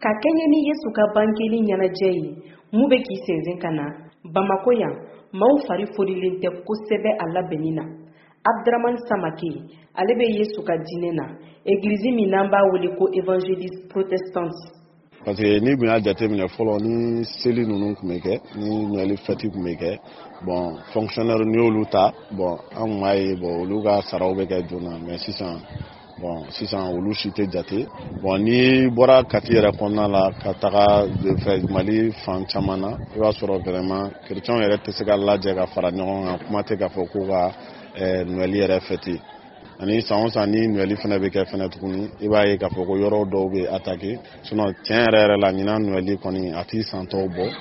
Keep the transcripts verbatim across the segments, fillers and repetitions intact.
Ka kɛɲɛ ni Yesu ka bangeli ɲɛnajɛ ye mun bɛ k'i sensen ka na Bamako yan, maaw fari fonilen tɛ kosɛbɛ a labɛnni na. Abdramane Samake, ale bɛ Yesu ka diinɛ na, egilizi min n'an b'a wele ko évangéliste protestante. Parce que n'i tun y'a jateminɛ fɔlɔ, ni seli ninnu tun bɛ kɛ, ni Noël fête tun bɛ kɛ, bon, fonctionnaire n'i y'olu ta, bon, an tun b'a ye, bon, olu ka saraw bɛ kɛ joona. Mais sisan, bon, sisan olu si tɛ jate. Bon, n'i bɔra Kati yɛrɛ kɔnɔna la ka taga fɛ Mali fan caman na, i b'a sɔrɔ vraiment chrétiens yɛrɛ tɛ se ka lajɛ ka fara ɲɔgɔn kan. Kuma tɛ k'a fɔ ko ka Noël yɛrɛ fête. Ani san o san ni Noël fana bɛ kɛ fɛnɛ tuguni, i b'a ye k'a fɔ ko yɔrɔ dɔw bɛ attaquer. Sinon, tiɲɛ yɛrɛ yɛrɛ la, ɲinan Noël kɔni, a t'i san tɔw bɔ.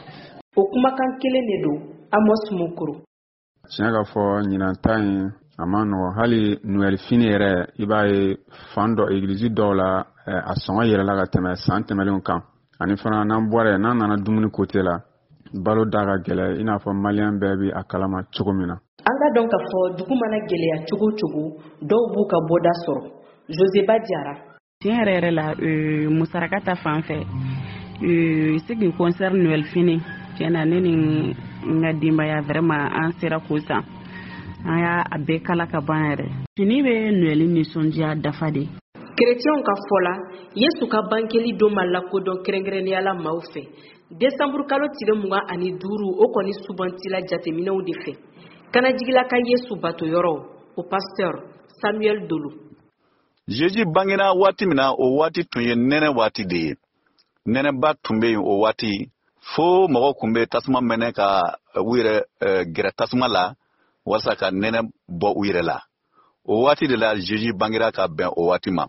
O kumakan kelen de don, Amos Mokoro. Tiɲɛ ka fɔ, ɲinan ta in a ma nɔgɔ. Hali Noël fini yɛrɛ, i b'a ye fan dɔ, egilizi dɔw la, a sɔngɔ yɛlɛla ka tɛmɛ san tɛmɛnlenw kan. Ani fana, n'an bɔra yen, n'an nana dumuni côté la, balo da ka gɛlɛ, i n'a fɔ maliyɛn bɛɛ bi a kalama cogo min na. An ka dɔn k'a fɔ dugu mana gɛlɛya cogo o cogo, dɔw b'u ka bɔda sɔrɔ. Joseba Jara. Tiɲɛ yɛrɛ yɛrɛ la, musaraka ta fan fɛ, ce qui concerne Noël fini, tiɲɛ na, ne ni n ka denbaya, vraiment, an sera k'o san. An y'a a bɛɛ kala ka ban yɛrɛ. Fini bɛ Noël nisɔndiya dafa de. Kerecɛnw ka fɔ la, Yesu ka bangeli don ma lakodɔn kɛrɛnkɛrɛnnenya la maaw fɛ desanburu kalo tile mugan ani duuru. O kɔni sugantila jateminɛw de fɛ Kanajigila ka Yesu bato yɔrɔ o pasteur Samuel Dolo. Jésus bangena waati min na, o waati tun ye nɛnɛ waati de ye. Nɛnɛba tun bɛ yen o waati, fo mɔgɔw tun bɛ tasuma mɛnɛ ka u yɛrɛ gɛrɛ tasuma la walasa ka nɛnɛ bɔ u yɛrɛ la. O waati de la Jésus bangera, ka bɛn o waati ma.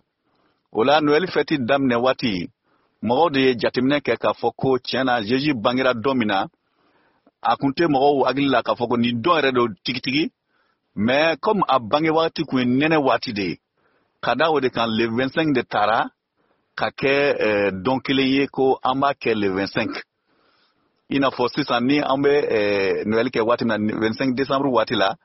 O la, Noël fête daminɛ waati, mɔgɔw de ye jateminɛ kɛ k'a fɔ ko tiɲɛ na, Jésus bangera don min na, a kun tɛ mɔgɔw hakili la k'a fɔ ko nin don yɛrɛ don tigitigi. Mais comme a bange waati kun ye nɛnɛ waati de ye, ka da o de kan, le vingt-cinq de taara ka kɛ eh, don kelen ye ko an b'a kɛ le vingt-cinq. I n'a fɔ sisan ni an bɛ eh, Noël kɛ waati min na, vingt-cinq décembre waati la,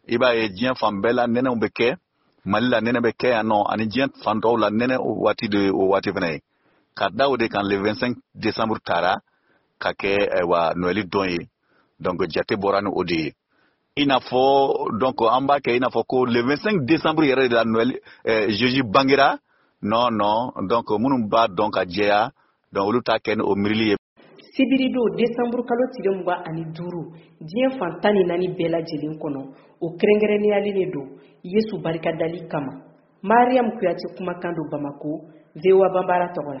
i b'a ye diɲɛ fan bɛɛ la nɛnɛw bɛ kɛ. Mali la, nɛnɛ bɛ kɛ yan nɔ, ani diɲɛ fan tɔw la, nɛnɛ waati de o waati fana ye. Ka da o de kan, le vingt-cinq décembre taara ka kɛ ayiwa Noël don ye. Donc jate bɔra ni o de ye. I n'a fɔ donc an b'a kɛ i n'a fɔ ko le vingt-cinq décembre yɛrɛ de la Noël, eh, Jésus bangera. Non, non, donc minnu b'a dɔn ka jɛya, donc olu t'a kɛ ni o miirili ye. Sibiridon desanburu kalo tile mugan ani duuru, diɲɛ fan tan ni naani bɛɛ lajɛlen kɔnɔ, o kɛrɛnkɛrɛnniyalen de don Yesu barikadali kama. Mariam Kuyate kumakan don Bamako, V O A Banbara tɔgɔ la.